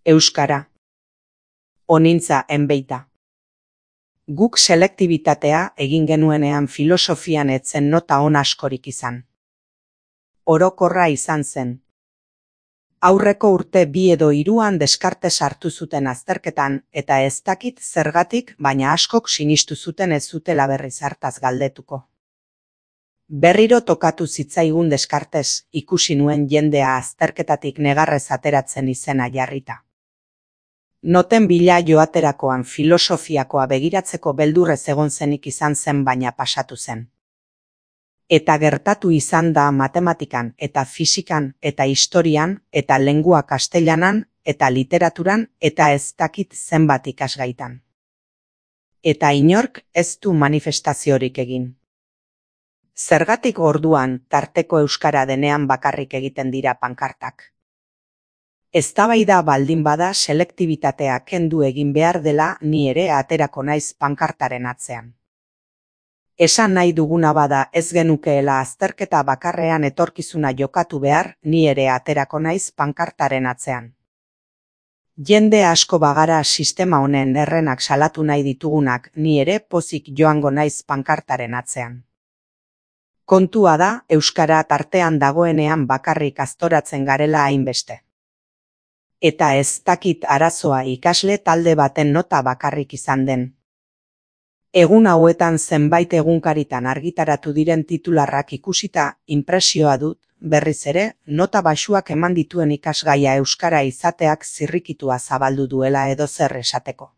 Euskara. Onintza enbeita. Guk selektibitatea egin genuenean filosofian etzen nota on askorik izan. Orokorra izan zen. Aurreko urte 2 edo 3 Descartes hartu zuten azterketan eta ez dakit zergatik, baina askok sinistu zuten ez zutela berriz hartaz galdetuko. Berriro tokatu zitzaigun Descartes, ikusi nuen jendea azterketatik negarrez ateratzen izena jarrita. Noten bila joaterakoan filosofiakoa begiratzeko beldurrez egon zenik izan zen baina pasatu zen. Eta gertatu izan da matematikan eta fisikan eta historian eta lengua kastellanan eta literaturan eta ez dakit zenbat ikasgaitan. Eta inork ez du manifestaziorik egin. Zergatik orduan tarteko euskara denean bakarrik egiten dira pankartak. Eztabaida baldin bada selektibitatea kendu egin behar dela ni ere aterako naiz pankartaren atzean. Esan nahi duguna bada ez genukeela azterketa bakarrean etorkizuna jokatu behar, ni ere aterako naiz pankartaren atzean. Jende asko bagara sistema honen errenak salatu nahi ditugunak, ni ere pozik joango naiz pankartaren atzean. Kontua da, euskara tartean dagoenean bakarrik aztoratzen garela hainbeste. Eta ez dakit arazoa ikasle talde baten nota bakarrik izan den. Egun hauetan zenbait egunkaritan argitaratu diren titularrak ikusita, inpresioa dut, berriz ere, nota baxuak eman dituen ikasgaia euskara izateak zirrikitua zabaldu duela edozer esateko.